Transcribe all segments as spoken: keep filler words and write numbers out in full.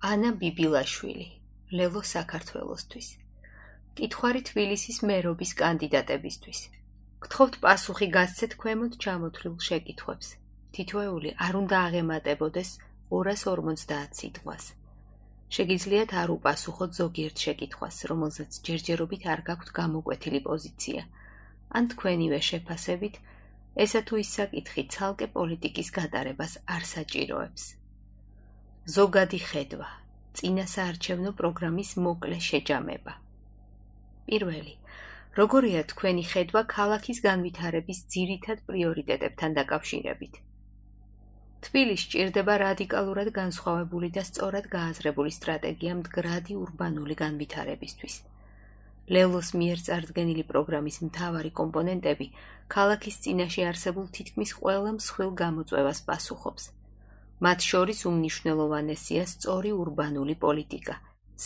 ანა ბიბილაშვილი, ლელო საქართველოსთვის. კითხვარი თბილისის მერობის კანდიდატებისთვის. გთხოვთ პასუხი გასცეთ ქვემოთ ჩამოთვლილ შეკითხვებს. თითოეული არ უნდა აღემატებოდეს ორას ორმოცდაათ სიტყვას. შეგიძლიათ არ უპასუხოთ ზოგიერთ შეკითხვას, რომელზეც ჯერჯერობით არ გაქვთ გამოკვეთილი პოზიცია, ან თქვენივე შეფასებით ესა თუ ის საკითხი ცალკე პოლიტიკის გატარებას არ საჭიროებს. ზოგადი ხედვა, წინასაარჩევნო პროგრამის მოკლე შეჯამება. პირველი, როგორია თქვენი ხედვა ქალაქის განვითარების ძირითად პრიორიტეტებთან დაკავშირებით? თბილისს სჭირდება რადიკალურად განსხვავებული და სწორად გააზრებული სტრატეგია მდგრადი ურბანული განვითარებისთვის. ლელოს მიერ წარდგენილი პროგრამის მთავარი კომპონენტები ქალაქის წინაშე არსებულ თითქმის ყველა მსხვილ გამოწვევას პასუხობს. მათ შორის უმნიშვნელოვანესია სწორი ურბანული პოლიტიკა,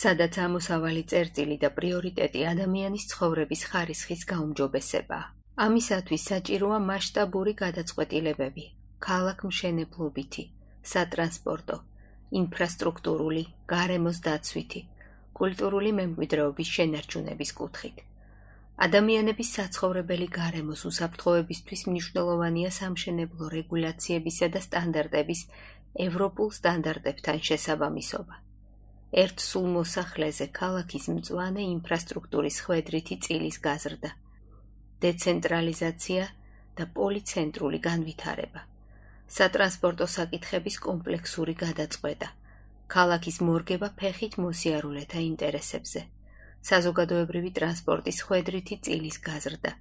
სადაც ამოსავალი წერტილი და პრიორიტეტი ადამიანის ცხოვრების ხარისხის გაუმჯობესებაა. ამისათვის საჭიროა მასშტაბური გადაწყვეტილებები, ქალაქმშენებლობითი, სატრანსპორტო, ინფრასტრუქტურული, გარემოს დაცვითი, კულტურული მემკვიდრეობის შენარჩუნების კუთხით. ადამიანების საცხოვრებელი გარემოს უსაფრთხოებისთვის მნიშვნელოვანია სამშენებლო რეგულაციებისა და სტანდარტების ევროპულ სტანდარტებთან შესაბამისობა. ერთ სულ მოსახლეზე ქალაქის მწვანე ინფრასტრუქტურის ხვედრითი წილის გაზრდა, დეცენტრალიზაცია და პოლიცენტრული განვითარება, სატრანსპორტო საკითხების კომპლექსური გადაწყვეტა, ქალაქის მორგება ფეხით მოსიარულეთა ინტერესებზე, საზოგადოებრივი ტრანსპორტის ხვედრითი წილის გაზრდა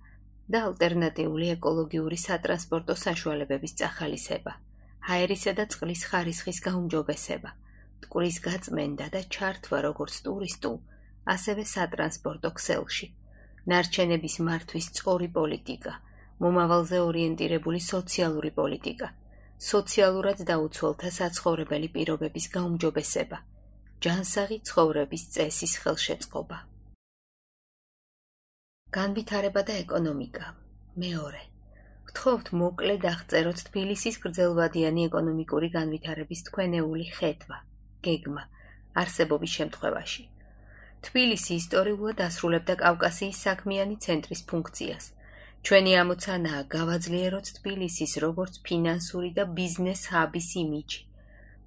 და ალტერნატიული ეკოლოგიური სატრანსპორტო საშუალებების წახალისება, ჰაერისა და წყლის ხარისხის გაუმჯობესება, მტკვრის გაწმენდა და ჩართვა როგორც ტურისტულ, ასევე სატრანსპორტო ქსელში, ნარჩენების მართვის სწორი პოლიტიკა, მომავალზე ორიენტირებული სოციალური პოლიტიკა, სოციალურად დაუცველთა საცხოვრებელი პირობების გაუმჯობესება, ჯანსაღი ცხოვრების წესის ხელშეწყობა. განვითარება და ეკონომიკა. მეორე. გთხოვთ მოკლედ აღწეროთ თბილისის გრძელვადიანი ეკონომიკური განვითარების თქვენეული ხედვა, გეგმა, არსებობის შემთხვევაში. თბილისი ისტორიულად ასრულებდა კავკასიის საქმიანი ცენტრის ფუნქციას. ჩვენი ამოცანაა გავაძლიეროთ თბილისის როგორც ფინანსური და ბიზნეს ჰაბის იმიჯი.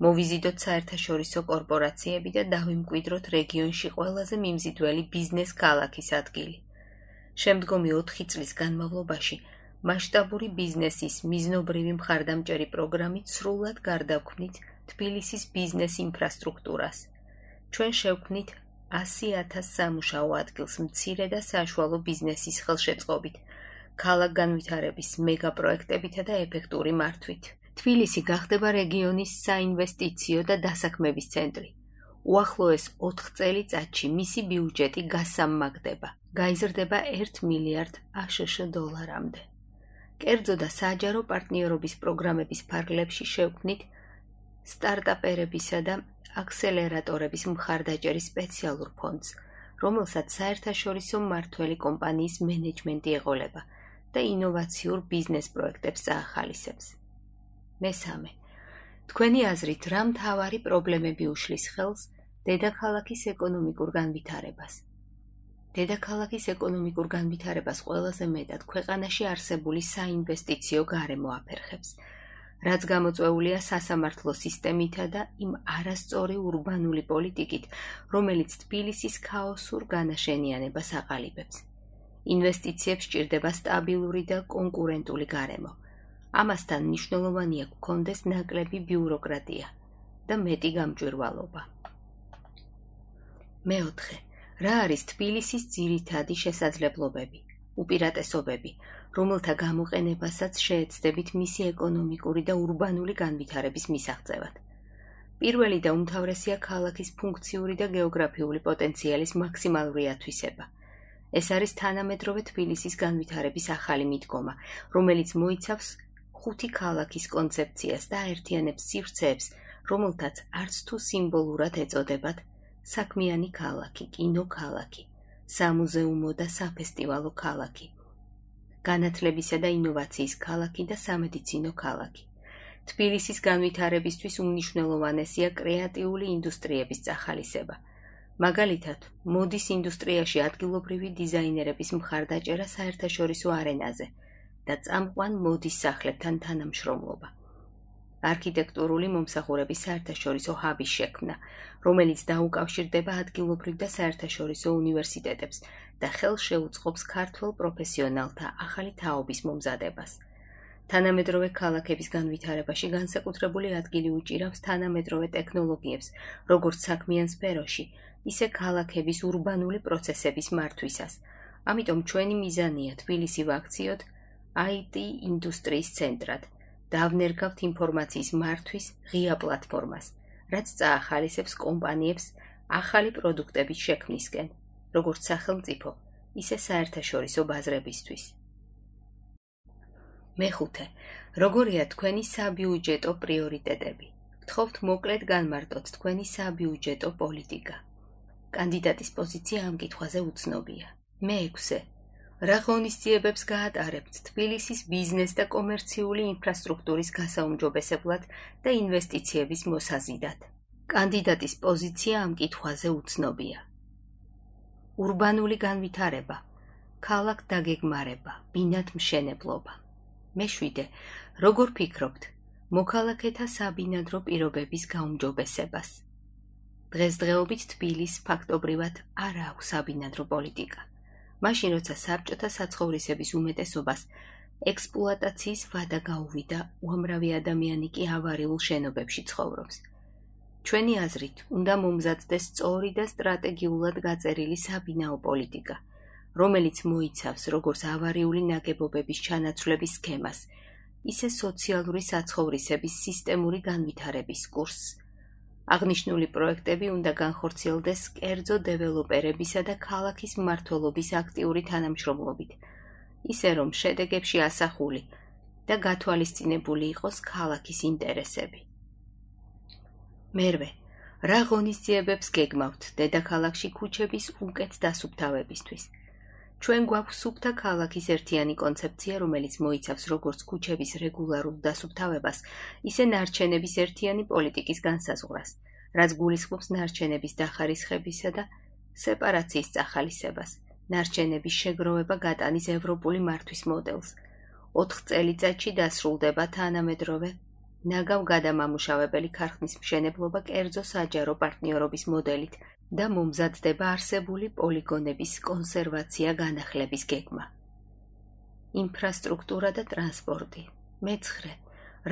მოვიზიდოთ საერთაშორისო კორპორაციები და დავიმკვიდროთ რეგიონში ყველაზე მიმზიდველი ბიზნეს ქალაქის ადგილი. შემდგომი ოთხი წლის განმავლობაში მასშტაბური ბიზნესის მიზნობრივი მხარდამჭერი პროგრამით სრულად გარდაგვქნით თბილისის ბიზნეს ინფრასტრუქტურას. ჩვენ შევქმნით ასი ათას სამუშაო ადგილს მცირე და საშუალო ბიზნესის ხელშეწყობით, ქალაქ განვითარების მეგაპროექტებითა და ეფექტური მართვით. თბილისი გახდება რეგიონის საინვესტიციო და დასაქმების ცენტრი. უახლოეს ოთხ წელიწადში მისი ბიუჯეტი გასამმაგდება, გაიზრდება ერთ მილიარდ აშშ დოლარამდე. კერძო და საჯარო პარტნიორობის პროგრამების ფარგლებში შევქმნით სტარტაპერებისა და აქსელერატორების მხარდაჭერის სპეციალურ ფონდს, რომელსაც საერთაშორისო მმართველი კომპანიის მენეჯმენტი ეყოლება და ინოვაციურ ბიზნეს პროექტებს წაახალისებს. მესამე. თქვენი აზრით რა მთავარი პრობლემები უშლის ხელს დედაქალაქის ეკონომიკურ განვითარებას? დედაქალაქის ეკონომიკურ განვითარებას ყველაზე მეტად ქვეყანაში არსებული საინვესტიციო გარემო აფერხებს, რაც გამოწვეულია სასამართლო სისტემითა და იმ არასწორი ურბანული პოლიტიკით, რომელიც თბილისის ქაოსურ განაშენიანებას აყალიბებს. ინვესტიციებს სჭირდება სტაბილური და კონკურენტული გარემო. ამასთან მნიშვნელოვანია გქონდეს ნაკლები ბიუროკრატია და მეტი გამჭვირვალობა. მეოთხე. რა არის თბილისის ძირითადი შესაძლებლობები, უპირატესობები, რომელთა გამოყენებასაც შეეცდებით მისი ეკონომიკური და ურბანული განვითარების მისაღწევად? პირველი და უმთავრესია ქალაქის ფუნქციური და გეოგრაფიული პოტენციალის მაქსიმალური ათვისება. ეს არის თანამედროვე თბილისის განვითარების ახალი მიდგომა, რომელიც მოიცავს ხუთი ქალაქის კონცეფციას და აერთიანებს სივრცეებს, რომელთაც არც თუ სიმბოლურად ეწოდებათ საქმიანი ქალაქი, კინოქალაქი, სამუზეუმო და საფესტივალო ქალაქი, განათლებისა და ინოვაციის ქალაქი და სამედიცინო ქალაქი. თბილისის განვითარებისთვის უმნიშვნელოვანესია კრეატიული ინდუსტრიების წახალისება. მაგალითად, მოდის ინდუსტრიაში ადგილობრივი დიზაინერების მხარდაჭერა საერთაშორისო არენაზე და წამყვან მოდის სახლებთან თანამშრომლობა. არქიტექტურული მომსახურების საერთაშორისო ჰაბის შექმნა, რომელიც დაუკავშირდება ადგილობრივ და საერთაშორისო უნივერსიტეტებს და ხელს შეუწყობს ქართველ პროფესიონალთა ახალი თაობის მომზადებას. თანამედროვე ქალაქების განვითარებაში განსაკუთრებული ადგილი უჭირავს თანამედროვე ტექნოლოგიებს, როგორც საქმიან სფეროში, ისე ქალაქების ურბანული პროცესების მართვისას. ამიტომ ჩვენი მიზანია თბილისი ვაქციოთ აი ტი ინდუსტრიის ცენტრად. დავნერგავთ ინფორმაციის მართვის ღია პლატფორმას, რაც წაახალისებს კომპანიებს ახალი პროდუქტების შექმნისკენ, როგორც სახელმწიფო, ისე საერთაშორისო ბაზრებისთვის. მეხუთე. როგორია თქვენი საბიუჯეტო პრიორიტეტები? გთხოვთ მოკლედ განმარტოთ თქვენი საბიუჯეტო პოლიტიკა. კანდიდატის პოზიცია ამ კითხვაზე უცნობია. მეექვსე. რა ღონისძიებებს გაატარებთ თბილისის ბიზნეს და კომერციული ინფრასტრუქტურის გასაუმჯობესებლად და ინვესტიციების მოსაზიდად? კანდიდატის პოზიცია ამ კითხვაზე უცნობია. ურბანული განვითარება, ქალაქ დაგეგმარება, ბინადმშენებლობა. მეშვიდე. როგორ ფიქრობთ მოქალაქეთა საბინადრო პირობების გაუმჯობესებას? დღესდღეობით თბილისს ფაქტობრივად არ აქვს საბინადრო პოლიტიკა. მაშინ, როცა საბჭოთა საცხოვრისების უმეტესობას ექსპლუატაციის ვადა გაუვიდა, უამრავი ადამიანი კი ავარიულ შენობებში ცხოვრობს. ჩვენი აზრით, უნდა მომზადდეს სწორი და სტრატეგიულად გაწერილი საბინაო პოლიტიკა, რომელიც მოიცავს როგორც ავარიული ნაგებობების ჩანაცვლების სქემას, ისე სოციალური საცხოვრისების სისტემური განვითარების კურსს. აღნიშნული პროექტები უნდა განხორციელდეს კერძო დეველოპერებისა და ქალაქის მმართველობის აქტიური თანამშრომლობით, ისე რომ შედეგებში ასახული და გათვალისწინებული იყოს ქალაქის ინტერესები. მერვე. რა ღონისძიებებს გეგმავთ დედაქალაქში ქუჩების უკეთ დასუფთავებისთვის? ჩვენ გვაქვს სუფთა ქალაქის ერთიანი კონცეფცია, რომელიც მოიცავს როგორც ქუჩების რეგულარულ დასუფთავებას, ისე ნარჩენების ერთიანი პოლიტიკის განსაზღვრას, რაც გულისხმობს ნარჩენების დახარისხებისა და სეპარაციის წახალისებას, ნარჩენების შეგროვება გატანის ევროპული მართვის მოდელს. ოთხ წელიწადში დასრულდება თანამედროვე ნაგავ გადამამუშავებელი ქარხნის მშენებლობა კერძო საჯარო პარტნიორობის მოდელით და მომზადდება არსებული პოლიგონების კონსერვაცია განახლების გეგმა. ინფრასტრუქტურა და ტრანსპორტი. მეცხრე.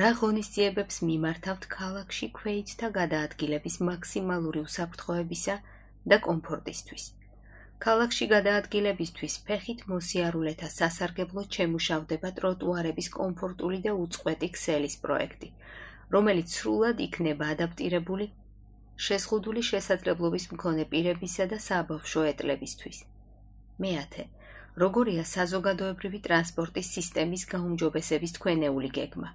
რა ღონისძიებებს მიმართავთ ქალაქში ქვეითთა გადაადგილების მაქსიმალური უსაფრთხოებისა და კომფორტისთვის? ქალაქში გადაადგილებისთვის ფეხით მოსიარულეთა სასარგებლოდ შემუშავდება ტროტუარების კომფორტული და უწყვეტი ქსელის პროექტი, რომელიც სრულად იქნება ადაპტირებული შეზღუდული შესაძლებლობის მქონე პირებისა და საბავშვო ეტლებისთვის. მეათე. როგორია საზოგადოებრივი ტრანსპორტის სისტემის გაუმჯობესების თქვენეული გეგმა?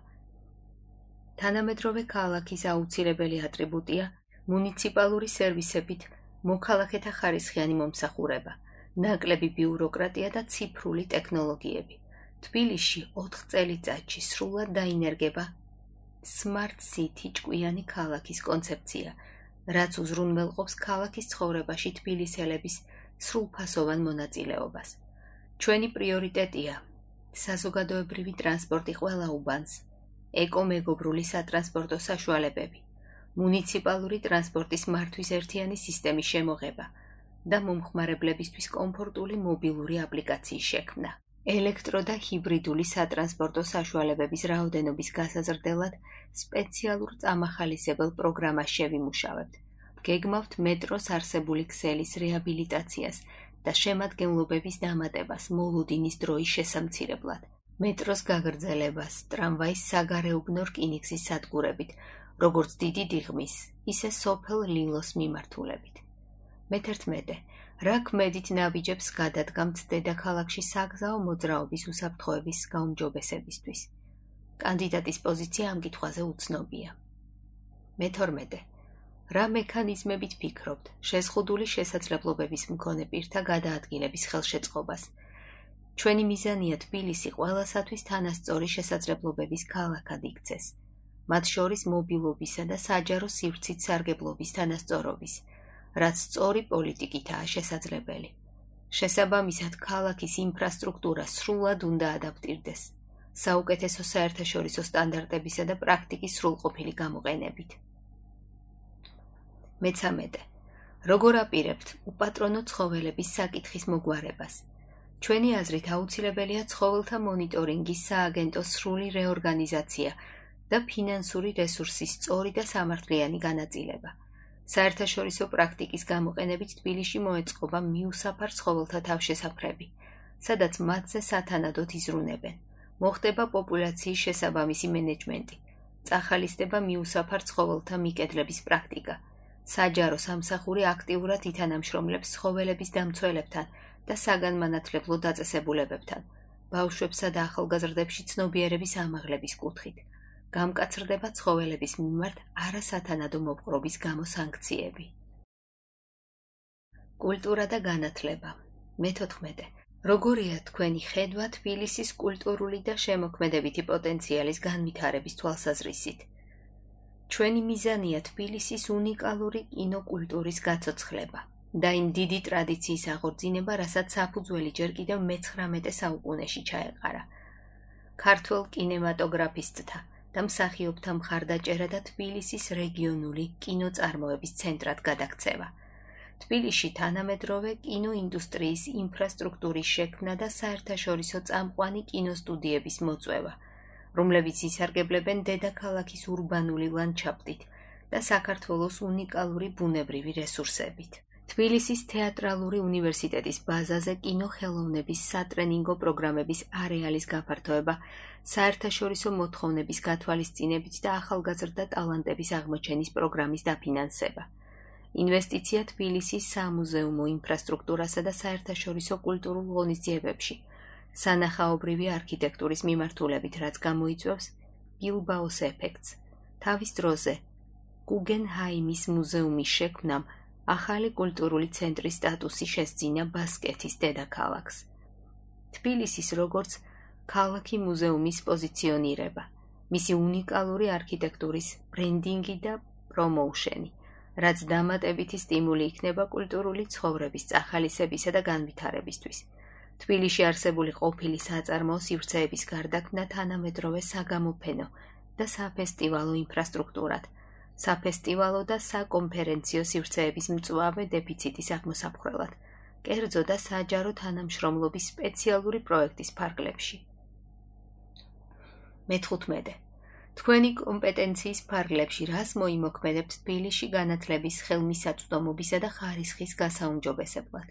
თანამედროვე ქალაქის აუცილებელი ატრიბუტია მუნიციპალური სერვისებით მოქალაქეთა ხარისხიანი მომსახურება, ნაკლები ბიუროკრატია და ციფრული ტექნოლოგიები. თბილისში ოთხ წელიწადში სრულად დაინერგება Smart City ჭკვიანი ქალაქის კონცეფცია, რაც უზრუნველყოფს ქალაქის ცხოვრებაში თბილისელების სრულფასოვან მონაწილეობას. ჩვენი პრიორიტეტია საზოგადოებრივი ტრანსპორტი ყველა უბანს, ეკომეგობრული სატრანსპორტო საშუალებები, მუნიციპალური ტრანსპორტის მართვის ერთიანი სისტემის შემოღება და მომხმარებლებისთვის კომფორტული მობილური აპლიკაციის შექმნა. ელექტრო და ჰიბრიდული სატრანსპორტო საშუალებების რაოდენობის გასაზრდელად სპეციალურ წამახალისებელ პროგრამას შევიმუშავებთ. გეგმავთ მეტროს არსებული ქსელის რეაბილიტაციას და შემადგენლობების დამატებას მოლუდინის დროის შესამცირებლად. მეტროს გაგრძელებას ტრამვაის საგარეუბნო რკინიგზის სადგურებით, როგორც დიდი დიღმის, ისე სოფელ ლილოს მიმართულებით. მეთერთმეტე. რა ქმედით ნაბიჯებს გადადგამთ დედაქალაქში საგზაო მოძრაობის უსაფრთხოების გაუმჯობესებისთვის? კანდიდატის პოზიცია ამ კითხვაზე უცნობია. მეთორმეტე. რა მექანიზმებით ფიქრობთ შეზღუდული შესაძლებლობების მქონე პირთა გადაადგილების ხელშეწყობას? ჩვენი მიზანია თბილისი ყველასათვის თანასწორი შესაძლებლობების ქალაქად იქცეს. მათ შორის მობილობისა და საჯარო სივრცით სარგებლობის თანასწორობის, რაც სწორი პოლიტიკითაა შესაძლებელი. შესაბამისად, ქალაქის ინფრასტრუქტურა სრულად უნდა ადაპტირდეს, საუკეთესო საერთაშორისო სტანდარტებისა და პრაქტიკის სრულყოფილი გამოყენებით. მესამე. როგორ აპირებთ უპატრონო ცხოველების საკითხის მოგვარებას? ჩვენი აზრით აუცილებელია ცხოველთა მონიტორინგის სააგენტოს სრული რეორგანიზაცია და ფინანსური რესურსის სწორი და სამართლიანი განაწილება. საერთაშორისო პრაქტიკის გამოყენებით თბილისში მოეწყობა მიუსაფარ ცხოველთა თავშესაფრები, სადაც მათზე სათანადოდ იზრუნებენ. მოხდება პოპულაციის შესაბამისი მენეჯმენტი, წახალისდება მიუსაფარ ცხოველთა მიკედლების პრაქტიკა. საჯარო სამსახური აქტიურად ითანამშრომლებს ცხოველების დამცველებთან და საგანმანათლებლო დაწესებულებებთან, ბავშვებსა და ახალგაზრდებში ცნობიერების ამაღლების კუთხით. გამკაცრდება ცხოველების მიმართ არასათანადო მოპყრობის გამო სანქციები. კულტურა და განათლება. მეთოთხმეტე. როგორია თქვენი ხედვა თბილისის კულტურული და შემოქმედებითი პოტენციალის განვითარების თვალსაზრისით? ჩვენი მიზანია თბილისის უნიკალური კინოკულტურის გაცოცხლება და იმ დიდი ტრადიციის აღორძინება, რასაც საფუძველი ჯერ კიდევ მეცხრამეტე საუკუნეში ჩაეყარა. ქართველ კინემატოგრაფისტთა და მსახიობთა მხარდაჭერა და თბილისის რეგიონული კინოწარმოების ცენტრად გადაქცევა. თბილისში თანამედროვე კინოინდუსტრიის ინფრასტრუქტურის შექმნა და საერთაშორისო წამყვანი კინოსტუდიების მოწვევა, რომლებიც ისარგებლებენ დედაქალაქის ურბანული ლანდშაფტით და საქართველოს უნიკალური ბუნებრივი რესურსებით. თბილისის თეატრალური უნივერსიტეტის ბაზაზე კინოხელოვნების სატრენინგო პროგრამების არეალის გაფართოება, საერთაშორისო მოთხოვნების გათვალისწინებით და ახალგაზრდა ტალანტების აღმოჩენის პროგრამის დაფინანსება. ინვესტიცია თბილისის სამუზეუმო ინფრასტრუქტურასა და საერთაშორისო კულტურულ ღონისძიებებში, სანახაობრივი არქიტექტურის მიმართულებით, რაც გამოიწვევს ბილბაოს ეფექტს. თავის დროზე გუგენჰაიმის მუზეუმის შექმნამ ახალი კულტურული ცენტრის სტატუსი შესძინა ბასკეთის დედაქალაქს. თბილისის როგორც ქალაქი მუზეუმის პოზიციონირება, მისი უნიკალური არქიტექტურის ბრენდინგი და პრომოუშენი, რაც დამატებითი სტიმული იქნება კულტურული ცხოვრების წახალისებისა და განვითარებისთვის. თბილისში არსებული ყოფილი საწარმოო სივრცეების გარდაქმნა თანამედროვე საგამოფენო და საფესტივალო ინფრასტრუქტურად, საფესტივალო და საკონფერენციო სივრცეების მწვავე დეფიციტის აღმოსაფხრელად, კერძო და საჯარო თანამშრომლობის სპეციალური პროექტის ფარგლებში. მეთხვთმეტე. თქვენი კომპეტენციის ფარგლებში რას მოიმოქმედებთ თბილისში განათლების ხელმისაწვდომობისა და ხარისხის გასაუმჯობესებლად?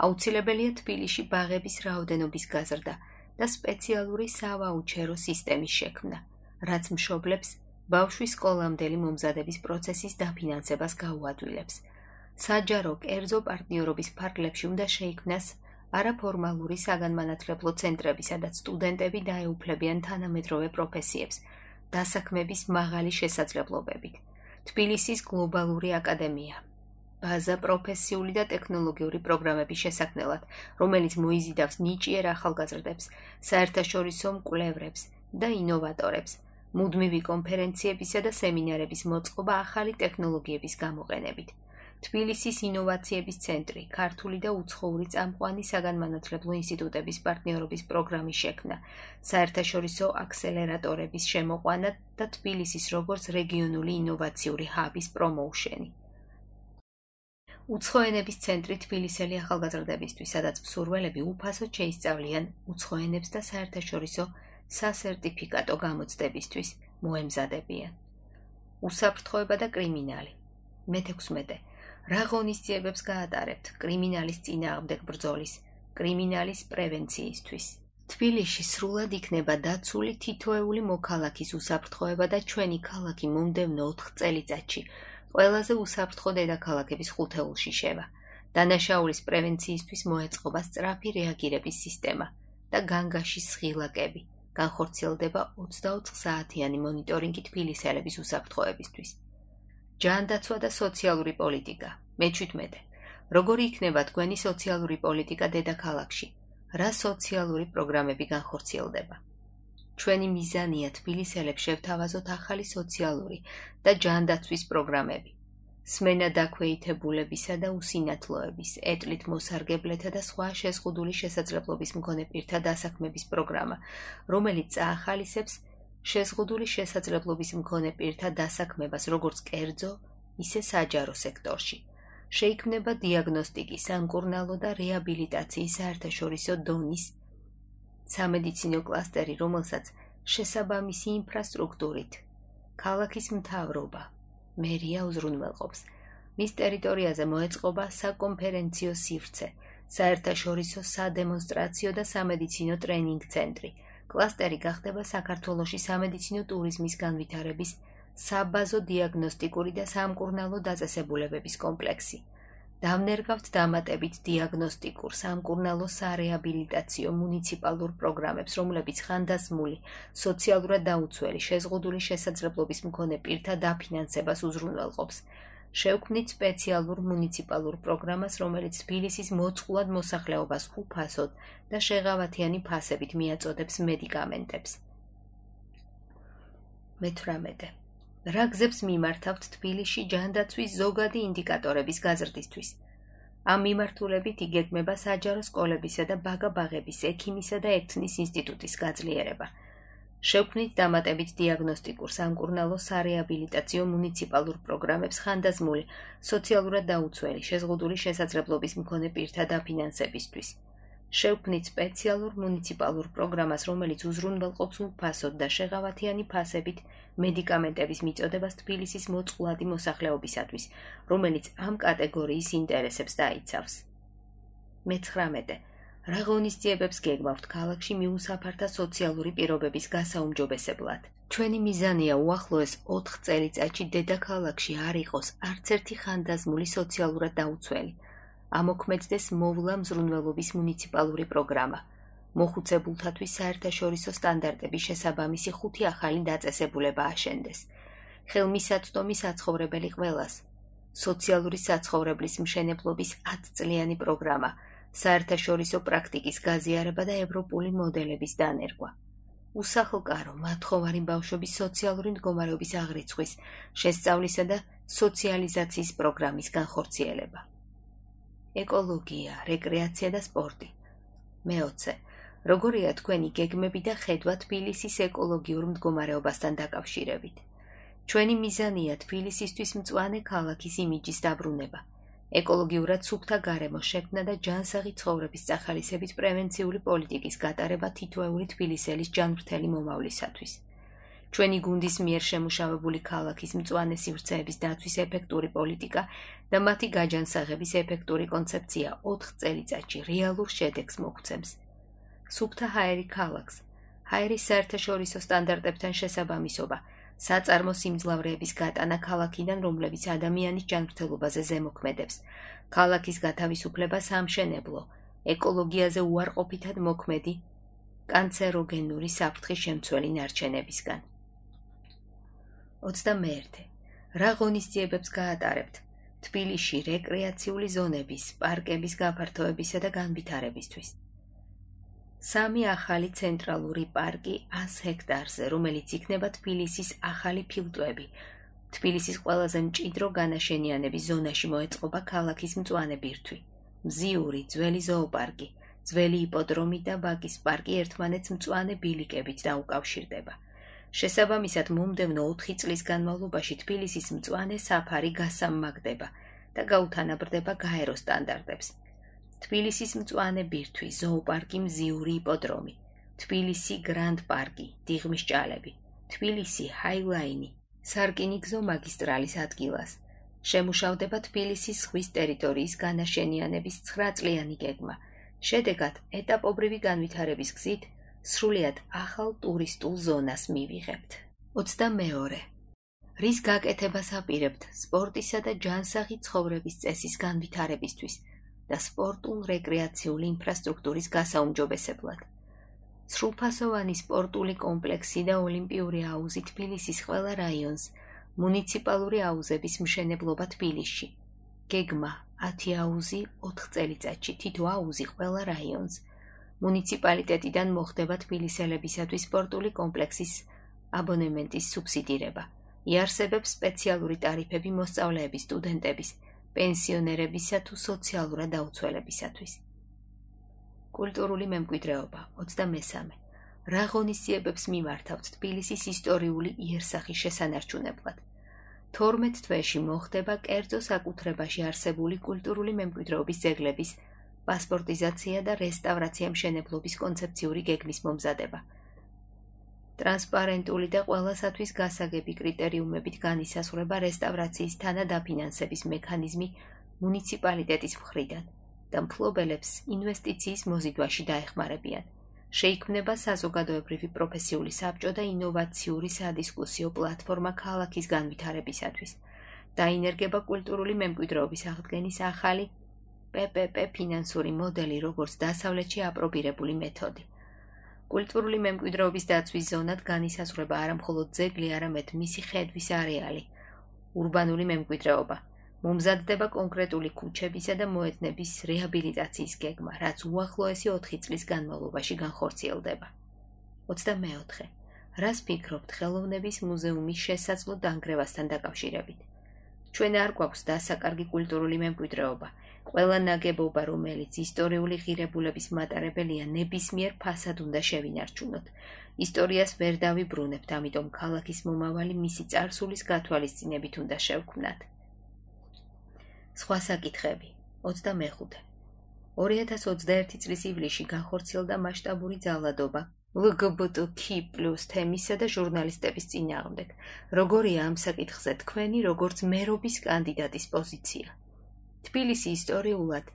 აუცილებელია თბილისში ბაღების რაოდენობის გაზრდა და სპეციალური სავაუჩერო სისტემის შექმნა, რაც მშობლებს ბავშვის სკოლამდელი მომზადების პროცესის დაფინანსებას გაუადვილებს. საჯარო კერძო პარტნიორობის ფარგლებში უნდა შეიქმნას არაფორმალური საგანმანათლებლო ცენტრები, სადაც სტუდენტები დაეუფლებიან თანამედროვე პროფესიებს, დასაქმების მაღალი შესაძლებლობებით. თბილისის გლობალური აკადემია. ბაზა პროფესიული და ტექნოლოგიური პროგრამების შესაქმნელად, რომელიც მოიზიდავს ნიჭიერ ახალგაზრდებს, საერთაშორისო მკვლევრებს და ინოვატორებს, მუდმივი კონფერენციებისა და სემინარების მოწყობა ახალი ტექნოლოგიების გამოყენებით. თბილისის ინოვაციების ცენტრი, ქართული და უცხოური წამყვანი საგანმანათლებლო ინსტიტუტების პარტნიორობის პროგრამის შექმნა, საერთაშორისო აქსელერატორების შემოყვანა და თბილისის როგორც რეგიონული ინოვაციური ჰაბის პრომოუშენი. უცხოენების ცენტრი თბილისელი ახალგაზრდებისთვის, სადაც მსურველები უფასოდ შეისწავლიან უცხოენებს და საერთაშორისო სასერტიფიკატო გამოცდებისთვის მოემზადებიან. უსაფრთხოება და კრიმინალი. მეთექვსმეტე. რა ღონისძიებებს გაატარებთ კრიმინალის წინააღმდეგ ბრძოლის, კრიმინალის პრევენციისთვის? თბილისში სრულად იქნება დაცული თითოეული მოქალაქის უსაფრთხოება და ჩვენი ქალაქი მომდევნო ოთხ წელიწადში ყველაზე უსაფრთხო დედაქალაქების ხუთეულში შევა. დანაშაულის პრევენციისთვის მოეწყობა სწრაფი რეაგირების სისტემა და განგაშის სხილაკები. განხორციელდება ოცდაოთხ საათიანი მონიტორინგი თბილისელების უსაფრთხოებისთვის. ჯანდაცვა და სოციალური პოლიტიკა. მეჩვიდმეტე. როგორი იქნება თქვენი სოციალური პოლიტიკა დედაქალაქში? რა სოციალური პროგრამები განხორციელდება? ჩვენი მიზანია თბილისელებს შევთავაზოთ ახალი სოციალური და ჯანდაცვის პროგრამები. სმენა დაქვეითებულებისა და უსინათლოების, ეტლით მოსარგებლეთა და სხვა შეზღუდული შესაძლებლობის მქონე პირთა დასაქმების პროგრამა, რომელიც წაახალისებს შეზღუდული შესაძლებლობის მქონე პირთა დასაქმებას როგორც კერძო, ისე საჯარო სექტორში. შეიქმნება დიაგნოსტიკის, სამკურნალო და რეაბილიტაციის საერთაშორისო დონის სამედიცინო კლასტერი, რომელსაც შესაბამისი ინფრასტრუქტურით ქალაქის მთავრობა, მერია უზრუნველყოფს. მის ტერიტორიაზე მოეწყობა საკონფერენციო სივრცე, საერთაშორისო სადემონსტრაციო და სამედიცინო ტრენინგ ცენტრი. კლასტერი გახდება საქართველოში სამედიცინო ტურიზმის განვითარების საბაზო დიაგნოსტიკური და სამკურნალო დაწესებულებების კომპლექსი. დავნერგავთ დამატებით დიაგნოსტიკურ, სამკურნალო სარეაბილიტაციო მუნიციპალურ პროგრამებს, რომლებიც ხანდაზმული, სოციალურად დაუცველი, შეზღუდული შესაძლებლობის მქონე პირთა დაფინანსებას უზრუნველყოფს. შევქმნით სპეციალურ მუნიციპალურ პროგრამას, რომელიც თბილისის მოწყვლად მოსახლეობას უფასოდ და შეღავათიანი ფასებით მიაწოდებს მედიკამენტებს. მეთვრამეტე. რა გზებს მიმართავთ თბილისში ჯანდაცვის ზოგადი ინდიკატორების გაზრდისთვის? ამ მიმართულებით იგეგმება საჯარო სკოლებისა და ბაგა-ბაღების, ექიმისა და ექთნის ინსტიტუტის გაძლიერება. შევქმნით დამატებით დიაგნოსტიკურ, სამკურნალო სარეაბილიტაციო მუნიციპალურ პროგრამებს ხანდაზმული, სოციალურად დაუცველი, შეზღუდული შესაძლებლობის მქონე პირთა დაფინანსებისთვის. შევქმნით სპეციალურ მუნიციპალურ პროგრამას, რომელიც უზრუნველყოფს უფასოდ და შეღავათიანი ფასებით მედიკამენტების მიწოდებას თბილისის მოწყვლადი მოსახლეობისათვის, რომელიც ამ კატეგორიის ინტერესებს დაიცავს. მეცხრამეტე. რა ღონისძიებებს გეგმავთ ქალაქში მიუსაფართა სოციალური პირობების გასაუმჯობესებლად? ჩვენი მიზანია უახლოეს ოთხ წელიწადში დედაქალაქში არ იყოს არც ერთი ხანდაზმული სოციალურად დაუცველი. ამოქმედდეს მოვლა მზრუნველობის მუნიციპალური პროგრამა. მოხუცებულთათვის საერთაშორისო სტანდარტების შესაბამისი ხუთი ახალი დაწესებულება აშენდეს. ხელმისაწვდომი საცხოვრებელი ყველას. სოციალური საცხოვრებლის მშენებლობის ათწლიანი პროგრამა. საერთაშორისო პრაქტიკის გაზიარება და ევროპული მოდელების დანერგვა. უსახლკარო, მათხოვარი ბავშვების სოციალური მდგომარეობის აღრიცხვის, შესწავლისა და სოციალიზაციის პროგრამის განხორციელება. ეკოლოგია, რეკრეაცია და სპორტი. მეოცე. როგორია თქვენი გეგმები და ხედვა თბილისის ეკოლოგიურ მდგომარეობასთან დაკავშირებით? ჩვენი მიზანია თბილისისთვის მწვანე ქალაქის იმიჯის დაბრუნება. ეკოლოგიურად სუფთა გარემოს შექმნა და ჯანსაღი ცხოვრების წახალისებით პრევენციული პოლიტიკის გატარება თითოეული თბილისელის ჯანმრთელი მომავლისათვის. ჩვენი გუნდის მიერ შემუშავებული ქალაქის მწვანე სივრცეების დაცვის ეფექტური პოლიტიკა და მათი გაჯანსაღების ეფექტური კონცეფცია ოთხ წელიწადში რეალურ შედეგს მოგვცემს. სუფთა ჰაერი ქალაქს, ჰაერის საერთაშორისო სტანდარტებთან შესაბამისობა, საწარმო სიმძლავრეების გატანა ქალაქიდან, რომლებიც ადამიანის ჯანმრთელობაზე ზემოქმედებს, ქალაქის გათავისუფლება სამშენებლო, ეკოლოგიაზე უარყოფითად მოქმედი, კანცეროგენური საფრთხის შემცველი ნარჩენებისგან. ოცდამეერთე. რა ღონისძიებებს გაატარებთ თბილისში რეკრეაციული ზონების, პარკების გაფართოებისა და განვითარებისთვის? სამი ახალი ცენტრალური პარკი ას ჰექტარზე, რომელიც იქნება თბილისის ახალი ფილტვები. თბილისის ყველაზე მჭიდრო განაშენიანების ზონაში მოეწყობა ქალაქის მწვანე ბირთვი. მზიური, ძველი ზოოპარკი, ძველი იპოდრომი და ბაკის პარკი ერთმანეთს მწვანე ბილიკებით დაუკავშირდება. შესაბამისად, მომდევნო ოთხი წლის განმავლობაში თბილისის მწვანე საფარი გასამმაგდება და გაუთანაბრდება გაერო სტანდარტებს. თბილისის მწვანე ბირთვი, ზოოპარკი, მზიური იპოდრომი, თბილისი გრანდ პარკი, დიღმის ჭალები, თბილისი ჰაილაინი, სარკინიგზო მაგისტრალის ადგილას. შემუშავდება თბილისის ზღვის ტერიტორიის განაშენიანების ცხრაწლიანი გეგმა. შედეგად, ეტაპობრივი განვითარების გზით სრულიად ახალ ტურისტულ ზონას მივიღებთ. ოცდამეორე. რის გაკეთებას აპირებთ სპორტისა და ჯანსაღი ცხოვრების წესის განვითარებისთვის და სპორტულ-რეკრეაციული ინფრასტრუქტურის გასაუმჯობესებლად? სრულფასოვანი სპორტული კომპლექსი და ოლიმპიური აუზი თბილისის ყველა რაიონს, მუნიციპალური აუზების მშენებლობა თბილისში. გეგმა ათი აუზი ოთხ წელიწადში, თითო აუზი ყველა რაიონს. მუნიციპალიტეტიდან მოხდება თბილისელებისათვის სპორტული კომპლექსის აბონემენტის სუბსიდირება. იარსებებს სპეციალური ტარიფები მოსწავლეების, სტუდენტების, პენსიონერებისა თუ სოციალურად დაუცველებისათვის. კულტურული მემკვიდრეობა ოცდამესამე. რა ღონისძიებებს მიმართავთ თბილისის ისტორიული იერსახის შესანარჩუნებლად? თორმეტ თვეში მოხდება კერძო საკუთრებაში არსებული კულტურული მემკვიდრეობის ძეგლების პასპორტიზაცია და რესტავრაცია მშენებლობის კონცეფციური გეგმის მომზადება. ტრანსპარენტული და ყველასათვის გასაგები კრიტერიუმებით განისაზღვრება რესტავრაციის თანადაფინანსების მექანიზმი მუნიციპალიტეტის მხრიდან და მფლობელებს ინვესტიციის მოზიდვაში დაეხმარებიან. შეიქმნება საზოგადოებრივი პროფესიული საბჭო და ინოვაციური სადისკუსიო პლატფორმა ქალაქის განვითარებისათვის. დაინერგება კულტურული მემკვიდრეობის აღდგენის ახალი პე პე პე ფინანსური მოდელი, როგორც დასავლეთში აპრობირებული მეთოდი. კულტურული მემკვიდრეობის დაცვის ზონად განისაზღვრება არამხოლოდ ძეგლი, არამედ მისი ხედვის არეალი, ურბანული მემკვიდრეობა. მომზადდება კონკრეტული ქუჩებისა და მოედნების რეაბილიტაციის გეგმა, რაც უახლოესი ოთხი წლის განმავლობაში განხორციელდება. ოცდამეოთხე. რას ფიქრობთ ხელოვნების მუზეუმის შესაძლო დანგრევასთან დაკავშირებით? ჩვენ არ გვაქვს დასაკარგი კულტურული მემკვიდრეობა. ყველა ნაგებობა, რომელიც ისტორიული ღირებულების მატარებელია, ნებისმიერ ფასად უნდა შევინარჩუნოთ. ისტორიას ვერ დავიბრუნებთ, ამიტომ ქალაქის მომავალი მისი წარსულის გათვალისწინებით უნდა შევქმნათ. სხვა საკითხები. ოცდამეხუთე. ორი ათას ოცდაერთი წლის ივლისში განხორციელდა მასშტაბური ძალადობა ლ გ ბ ტ ქ პლუს თემისა და ჟურნალისტების წინააღმდეგ. როგორია ამ საკითხზე თქვენი, როგორც მერობის კანდიდატის პოზიცია? თბილისი ისტორიულად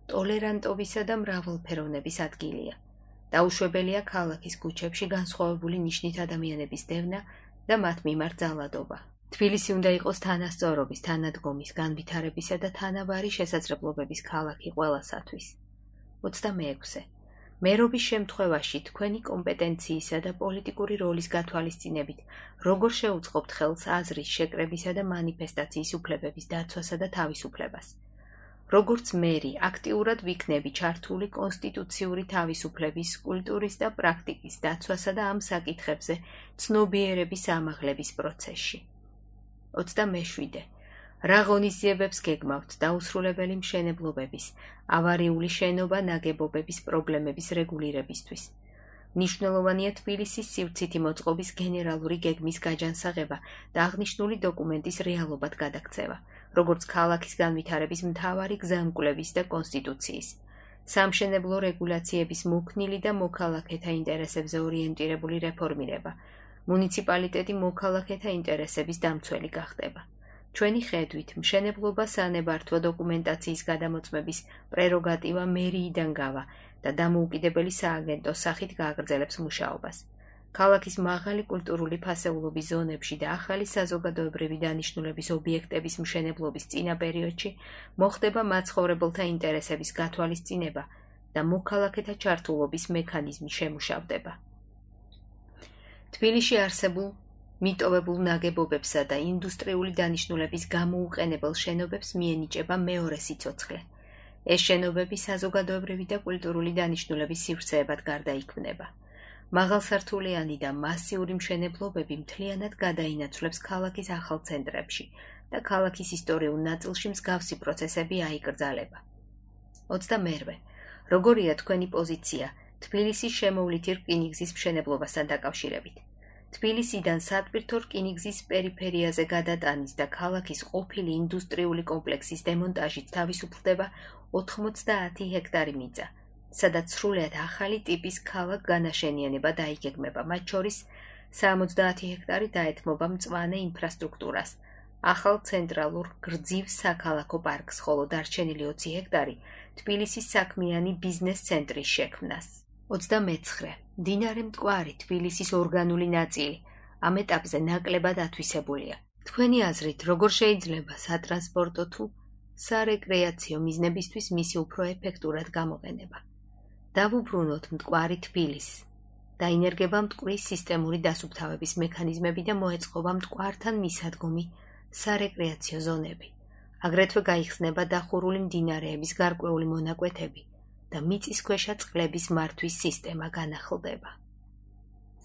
ტოლერანტობისა და მრავალფეროვნების ადგილია. დაუშვებელია ქალაქის ქუჩებში განსხვავებული ნიშნით ადამიანების დევნა და მათ მიმართ ძალადობა. თბილისი უნდა იყოს თანასწორობის, თანადგომის, განვითარებისა და თანაბარი შესაძლებლობების ქალაქი ყველასათვის. ოცდამეექვსე. მერობის შემთხვევაში თქვენი კომპეტენციისა და პოლიტიკური როლის გათვალისწინებით როგორ შეუწყობთ ხელს აზრის შეკრებისა და მანიფესტაციის უფლებების დაცვასა და თავისუფლებას? როგორც მერი, აქტიურად ვიქნები ჩართული კონსტიტუციური თავისუფლების, კულტურის და პრაქტიკის დაცვასა და ამ საკითხებზე ცნობიერების ამაღლების პროცესში. ოცდამეშვიდე. რა ღონისძიებებს გეგმავთ დაუსრულებელი მშენებლობების, ავარიული შენობა ნაგებობების პრობლემების რეგულირებისთვის? მნიშვნელოვანია თბილისის სივრცითი მოწყობის გენერალური გეგმის გაჯანსაღება და აღნიშნული დოკუმენტის რეალობად გადაქცევა, როგორც ქალაქის განვითარების მთავარი გზამკვლევის და კონსტიტუციის. სამშენებლო რეგულაციების მოქნილი და მოქალაქეთა ინტერესებზე ორიენტირებული რეფორმირება. მუნიციპალიტეტი მოქალაქეთა ინტერესების დამცველი გახდება. ჩვენი ხედვით, მშენებლობა სანებართვო დოკუმენტაციის გადამოწმების პრეროგატივა მერიიდან გავა და დამოუკიდებელი სააგენტოს სახით გააგრძელებს მუშაობას. ქალაქის მაღალი კულტურული ფასეულობის ზონებში და ახალი საზოგადოებრივი დანიშნულების ობიექტების მშენებლობის წინა პერიოდში მოხდება მაცხოვრებელთა ინტერესების გათვალისწინება და მოქალაქეთა ჩართულობის მექანიზმი შემუშავდება. თბილისში არსებულ მიტოვებულ ნაგებობებსა და ინდუსტრიული დანიშნულების გამოუყენებელ შენობებს მიენიჭება მეორე სიცოცხლე. ეს შენობები საზოგადოებრივი და კულტურული დანიშნულების სივრცეებად გარდაიქმნება. მაღალსართულიანი და მასიური მშენებლობები მთლიანად გადაინაცვლებს ქალაქის ახალ ცენტრებში და ქალაქის ისტორიულ ნაწილში მსგავსი პროცესები აიკრძალება. ოცდამერვე. როგორია თქვენი პოზიცია თბილისის შემოვლითი რკინიგზის მშენებლობასთან დაკავშირებით? თბილისიდან სატვირთო რკინიგზის პერიფერიაზე გადატანის და ქალაქის ყოფილი ინდუსტრიული კომპლექსის დემონტაჟით თავისუფლდება ოთხმოცდაათი ჰექტარი მიწა, სადაც სრულიად ახალი ტიპის ქალაქ განაშენიანება დაიგეგმება, მათ შორის სამოცდაათი ჰექტარი დაეთმობა მწვანე ინფრასტრუქტურას, ახალ ცენტრალურ გრძივ საქალაქო პარკს, ხოლო დარჩენილი ოცი ჰექტარი თბილისის საქმიანი ბიზნეს ცენტრის შექმნას. ოცდამეცხრე. მდინარე მტკვარი თბილისის ორგანული ნაწილი, ამ ეტაპზე ნაკლებად ათვისებულია. თქვენი აზრით, როგორ შეიძლება სატრანსპორტო თუ სარეკრეაციო მიზნებისთვის მისი უფრო ეფექტურად გამოყენება? დავუბრუნოთ მტკვარი თბილისს. დაინერგება მტკვრის სისტემური დასუფთავების მექანიზმები და მოეწყობა მტკვართან მისადგომი სარეკრეაციო ზონები. აგრეთვე გაიხსნება დახურული მდინარეების გარკვეული მონაკვეთები და მიწისქვეშა წყლების მართვის სისტემა განახლდება.